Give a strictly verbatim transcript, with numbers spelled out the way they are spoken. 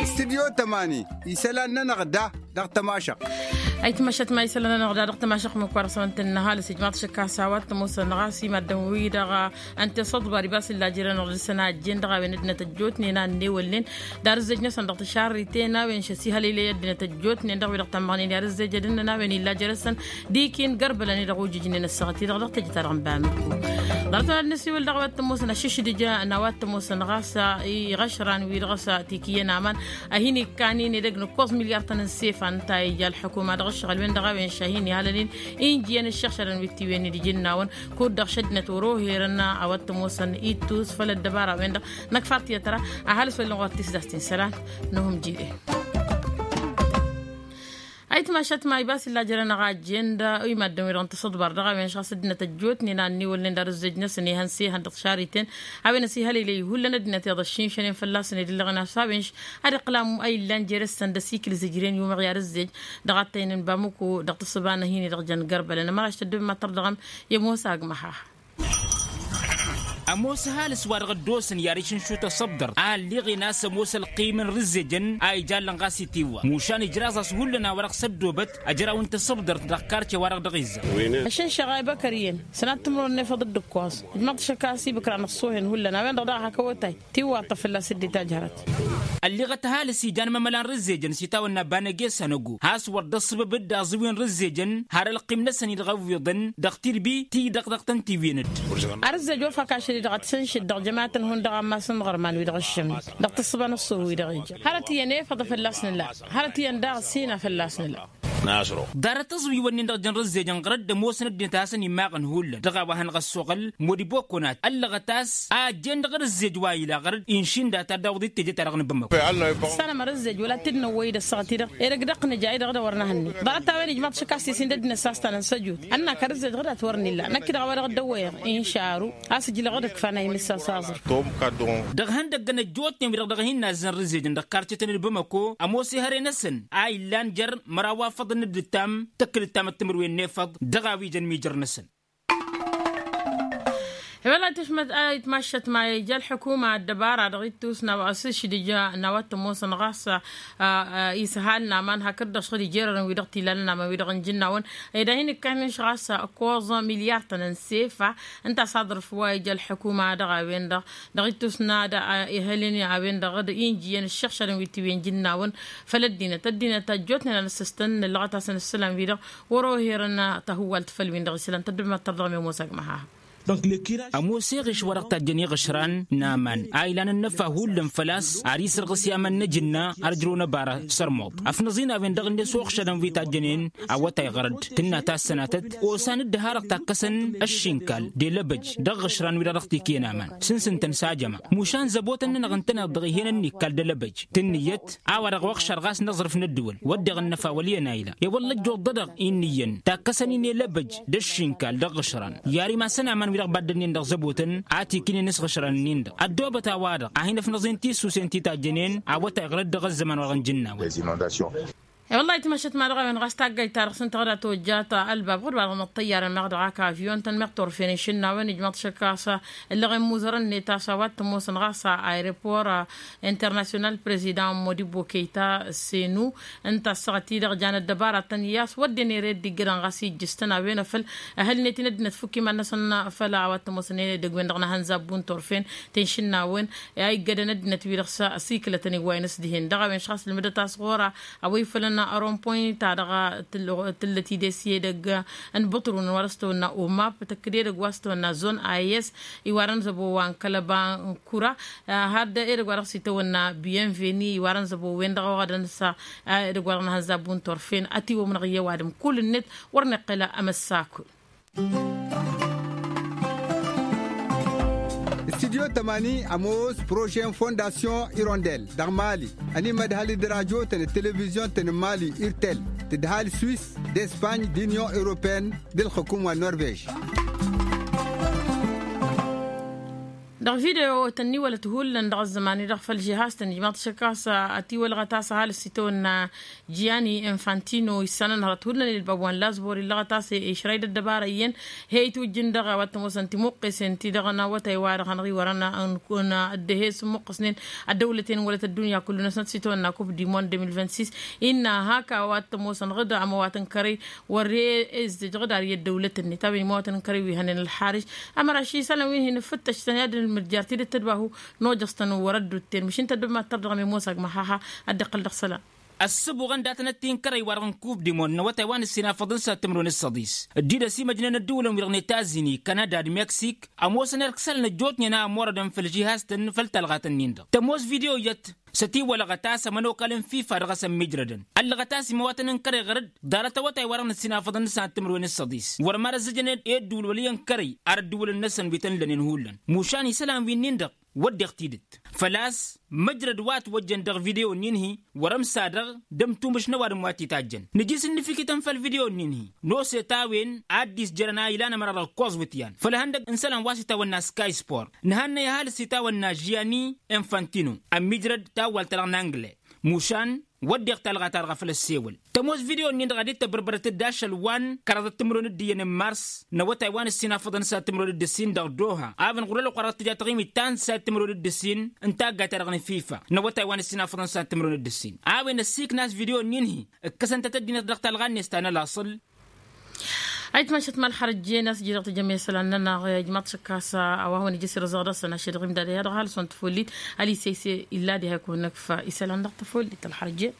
Stidyo tămani isălan-nănăɣ da dăɣ-tămašăɣt. Ayǝtmašat ma isălan-nănăɣ da dăɣ-tămašăɣt măkk wa dăɣ-s n-tănnăhal s-ijmaḍ šăkk a-s a-wa t-ămoosăn ɣas imaddǝn-wi-dăɣ ǝnta i-săḍbar ibas illa jere-năɣ dăɣ-săn a ăjjeen dăɣ-a-wen ăddinăt ăjjootnen a ǝnnewălnen d-arǝzzejăn-năsăn dăɣ-tăšarriten a-wen šăsihălăylăy ăddinăt ăjjootnen dăɣ-wi-dăɣ tămmăɣnen i-arǝzzejădăn-năn a-wen illa jere-săn d-ikin gărbălăn-i-dăɣ ojǝjnen ăssaɣăt-i-dăɣ dăɣ-teje-ta-dăɣ n-bamǝkko. Ḍarăt-wăn ad-năsiwǝl dăɣ-a-wa t-ămoosăn ašǝšdǝj n-a-wa t-ămoosăn ɣas iɣăšran-wi-dăɣ s-tikǝyyăn aman a hin-ikkan-in edăgg n-ǝkkoẓ milyar-tăn n-sefa ǝnta a ija ălḥukuma dăɣ-ǝššăɣǝl-wen-dăɣ a-wen šahin ihalăn-in injǝyăn ǝššăɣšadăn wi t-iwǝyăn d-ijǝnnawăn kud-dăɣ šăddinăt wăr-oherăn a-wa t-ămoosăn ittus făll-ăddăbara-wen-dăɣ. Năkk far tiyyăt ra ăhalǝs wăr-ǝllan ɣur-tisdast-in isălan. N-uhǝm jire. Ayǝtmašat ma ibas illa jere-năɣ a ăjjeen d-imaddǝn-wi-dăɣ n-tăsǝḍbar dăɣ-a-wen šăɣ s-ăddinăt ăjjootnen a ǝnniwălnen d-arǝzzej-năsăn ihăn s-ihăn dăɣ-tišariten a-wen ăsihălăylăy hullan ăddinăt iyyăḍ ăššinšănen fălla-săn edăllăɣen a-s a-wen a-dd iqqǝl amuyǝlla n-jere-săn d-ăsikǝl izǝjren i-umăɣ i-arǝzzej dăɣ-attăynen n-bamǝko dăɣ-tǝssǝba n-ad-hin-i-dăɣ jăn gărbălăn ămăraš tăddǝbǝm ad-tărdăɣăm i-ămoos agmăh-aha. Ămoos ăhalǝs wa dăɣ-ăddoosăn i-ad-išǝnšut asăbdăr a ălleɣen a-s ămoos ălqim n-irǝzzejăn a ijallan ɣas itiwwa mušan ijraẓ-as hullan a-wa-dăɣ s-ăddoobăt ăjraw n-tasăbdărt dăɣ-karce wa-dăɣ dăɣ-izzăr. Ăššǝnšăɣ a ibăkăr iyyăn sănat timǝrwen n-efăḍ d-ǝkkoẓ ǝjmăḍ-t šăkk a-s ibǝkra n-ăṣṣoohen hullan a-wen-dăɣ daɣ hak awătay tiwwaḍ-tăɣ fălla-s dd-itajj hărăt. Ălleɣăt ăhalǝs ijan mămăla n-rǝzzejăn s-itawănna banăge s-anăgo has-wăr dd-ăṣṣăbăb dd-aẓǝwi n-rǝzzejăn har ălqim-năsăn-i dăɣ-ăwwiḍăn dăɣ-tidbi ti-dăɣ dăɣ-tăn-tiwǝyăn-dd. Arǝzzej wa fak ašăl-i-dăɣ ad-t-sǝnšǝd dăɣ-jămayăt n-hundăɣ ammas n-iɣărman-wi-dăɣ ǝššămnen dăɣ-tǝssǝba n-ăṣṣooh-wi-dăɣ ija hărăt iyyăn efăḍ a fălla-s nǝla hărăt iyyăn daɣ ăssin a fălla-s nǝla. Ḍarăt aẓwiwăn-nin-dăɣ jăn rǝzzejăn ɣărăt d-ămoosăn ăddinăt a hasăn-immaɣăn hullan dăɣ-a-wa hanăɣ-ăssoɣăl modibo kăwănat ăllăɣăt a-s a ăjjeen dăɣ-arǝzzej wa ila ɣărăt inšǝnda ta dd-awǝḍ d-teje-ta-dăɣ n-bamăko. Sănăm arǝzzej wăla t-dd-năwwăy d-ăssaɣăt-i-dăɣ edăgg dăɣ-nǝja-i-dăɣ d-a wăr năhănne ḍarăt a-wen ijmaḍ šăkk a-s isin d-ăddinăt s-a-s ta nǝnsăjut ănn-ak arǝzzej ɣǝdat wăr nǝlla năkk-i-dăɣ a-wa dăɣ-dd-ăwwăyăɣ inša aru a-s ǝjlăɣ d-ǝkfa n-a imǝssa s-aẓrǝf. Dăɣ-ihăndăggăn ăjjootnen wi-dăɣ dăɣ-hin-nazzăn rǝzzejăn dăɣ-karcetăn d-bamăko ămoos ihăre-năsăn a illan jer-măraw wa făḍăn d-ǝttam tăkkǝl ǝttamăt timǝrwen n-efăḍ dăɣ-a-wi jăn mijăr-năsăn. I-wăla tǝšmăt a itmaššăt ma ija ălḥukuma ăddăbara dăɣ-ittus n-a-wa s-išdǝj n-a-wa t-ămoosăn ɣas isăhal n-aman hakd-dăɣ šăɣ-dd ijerărăn wi-dăɣ t-ilalăn aman wi-dăɣ n-ijǝnnawăn ed a hin-ǝkkanen šăɣ a-s ǝkkoẓ milyar-tăn n-sefa ǝnta a-s aḍrǝf wa ija ălḥukuma dăɣ-a-wen-dăɣ dăɣ-ittus n-ad-ihălăn a-wen-dăɣ d-injǝyăn ǝššăɣšadăn wi t-iwǝyăn ijǝnnawăn făll-ăddinăt ăddinăt ăjjootnen ad-nǝssǝstăn nǝllăɣăt-asăn ǝssǝlan-wi-dăɣ wăr-ohărăn tahǝwwalt făll-win-dăɣ isălan tăddǝbmăt tărdăɣăm i-ămoos agmăh-aha. Ămoos eɣeš wa dăɣ-tajjăn iɣǝšran n-aman a ilan ănnăfa hullan făl-a-s ad-isǝrɣǝs i-aman n-ajǝnna ad-ǝjrăwăn ăbara s-ărmuḍ ăfnăẓ-in a-wen-dăɣ ǝnne s-oxšadăn wi tajjănen awătay ɣărăd tǝnna tassănatăt osan dd-ăharăɣ takkăsăn ăššinkal d-elăbăj dăɣ-iɣǝšran-wi-dăɣ dăɣ-tikǝyăn aman sǝnsǝn-tăn s-ajăma mušan zăbotăn-nănăɣ ǝntăneḍ dăɣ-ih'-en ănnikkal d-elăbăj tǝnnǝyăt a-wa dăɣ-oɣšar ɣas n-aẓrǝf n-ăddǝwăl wădden ănnăfa wăl' iyyăn a ila i-wălla ăjjuḍ-dădăɣ innǝyyăn takkăsăn-in elăbăj d-ăššinkal dăɣ-iɣǝšran i-ar imassăn aman-wi-dăɣ baddănnen dăɣ-zăbotăn a tikǝnen s-iɣǝšran-nin-dăɣ ăddoobăt a-wa-dăɣ a hin-ăfnăẓen tisusen ti tajjănen awătay ɣărăt dăɣ-ăzzăman wa dăɣ-nǝjǝnnaw. I-wăllah itmăššăt ma dăɣ-a-wen ɣas taggayt-ta-dăɣ s-ǝnta ɣǝd a tojjat ălbab ɣǝd-wa-dăɣ n-ăṭṭăyyarăn meɣ dăɣ-ak avyon-tăn meɣ turfen inšǝnnawen ijmăḍ šăkk a-s ǝllăɣen muzărăn-net a-s a-wa t-ămoosăn ɣas aeropor internasyonal prezidan modibo keyta senu ǝnta ăssaɣăt-i-dăɣ jan ăddăbara-tăn i-a-s wădden ere dd-iggădăn ɣas ijjǝs-tăn a-wen afăl ăhălnet-in ăddinăt fukk iman-năsăn făll-a-wa t-ămoosăn edăgg-wen-dăɣ n-ehăn zabbun turfen tenšǝnnawen a iggădăn ăddinăt-wi-dăɣ s-ăsikǝlătăn iwwayăn s-dihen dăɣ-a-wen šăɣ-s ǝlmǝdăt a-s ɣur-a a-wa ifălăn rompoy-ta-dăɣ tǝllăɣ-tǝllăt idesye edăgg n-băṭrun wa dăɣ-s tăwănna omap tăkk-dd edăgg wa s-tăwănna zon a i-s iwarăn zăbo wa n-kălăba n-kura had edăgg wa dăɣ-s itawănna biyen veni iwarăn zăbo-wen-dăɣ oɣădăn s-edăgg wa dăɣ-năhănza buntorfen ătiwămnăɣ i-ăwadǝm kull-net wăr nǝqqǝl amăssakul. Studyo tămani ămoos projet n-fondasyon irondel dăɣ-mali ănimădhal d-radyo-tăn d-televizyon-tăn n-mali irtel tǝdhal swis d-espany d-inyon europeyăn d-ǝlxǝkum wa n-norvej. Dăɣ-video-tăn-in iwălăt hullan dăɣ-ăzzăman-i-dăɣ făll-žihaz-tăn ijmaḍ-t ašăk a-s ătiwălɣăt a-s ăhalǝs itawănna, jiyani infantino issanăn hărăt hullan i-ălbab wa n-lazbor illăɣăt a-s išrăy d-ăddăbara iyyăn. He-itwǝjjǝn dăɣ-a-wa t-ămoosăn timuqqesen-ti-dăɣ n-awătay-wa-dăɣ hanăɣ-iwărăn ănk-ăddăhes muqqăsnen ăddăwlăten wălăt ăddunya kullu-năsnăt s-itawănna kup dimon de mil vingt-six. Innă hak a-wa t-ămoosăn ɣǝd ămăwatăn kărăy wăr-e-ezzăj ɣǝd ar i-ăddăwlăt-net a-wen imăwatăn kărăy wi hănen ălxarǝj. Ămăraš isălan wi hin-ǝffǝttăštăn i-ad-dd-nǝlmǝdjar tidǝt tădbahu. Nojăs-tăn wăr-ăddutten măšin tăddăb mad-tărdăɣăm i-ămoos agmă haha. Ad-dd-iqqăl dăɣ-isălan. Ăssăbuɣăn datăn-ăttin kărăy-wa-dăɣ n-kub dimon n-awătay wa n-ǝssin afăḍăn s-ad-timǝrwen d-săḍis dd-idăs imăjnen ădduulăn-wi-dăɣ n-etazini kanada d-meksik. Ămoosăn erk isălan ăjjootnen a ămorădăn făll-žihaz-tăn făll-talɣat-nin-dăɣ tămoos video iyyăt. S-ătiwălăɣăt a-s ămănokal n-fifa dăɣ-s ămmijrădăn ăllăɣăt a-s imăwatăn n-kărăy ɣăr-dd. Ḍarăt awătay-wa-dăɣ n-ǝssin afăḍăn s-ad-timǝrwen d-săḍis wăr mad-ăzzăjăn i-ădduul wăl' iyyăn kărăy ar ădduulăn-năsăn wi tăn-lănen hullan. Mušan isălan wi-nin-dăɣ wădden tidǝt făl-a-s măjrăd wa ătwăjjăn dăɣ-video-nin-hi. Wăr-ămsa-dăɣ d-ămtumǝš n-ăwadǝm wa t-itajjăn nǝji s-ǝnnǝfikǝtăn făll-video-nin-hi. N-oset a-wen addis jărăn a ilan ămăra dăɣ-ǝkkoẓ wǝtyan făll-ihăndăg n-isălan wa s-itawănna sky sport nǝhannăy ăhalǝs s-itawănna žiyani infantino. Ămmijrăd tawwalt-ta-dăɣ n-angle mušan wădden talɣa-ta-dăɣ a făl ăssewăl. Tămoos video-nin-dăɣ ad-dd-tăbărbărăt d-ašăl wa n-kăraḍăt timǝrwen d-iyyăn n-mars n-awătay wa n-ǝssin afăḍăn s-ad-timǝrwen d-ǝssin dăɣ-doha a-wen ɣur-ălwăqq wa dăɣ-tǝja taɣimit ta n-s-ad-timǝrwen d-ǝssin n-taggayt-ta-dăɣ n-fifa n-awătay wa n-ǝssin afăḍăn s-ad-timǝrwen d-ǝssin. A-wen ăssiikna a-s video-nin-hi ǝkkăsăn-tăt ăddinăt dăɣ-talɣa-net ta n-ălaṣăl. Ayǝtmašăt ma ălxărăjjen a-s ǝjrăɣ tǝjăm i-isălan-nănăɣ ijmaḍ-t šăkk a-s a-wa hawăn-ija s-irǝzăɣ dăɣ-săn ašăl dăɣ-imdad i-ad-ɣal săn tăfollit. Ălisăy s-illa diha ikun năkfa isălan dăɣ-tăfollit ălxărăjjen.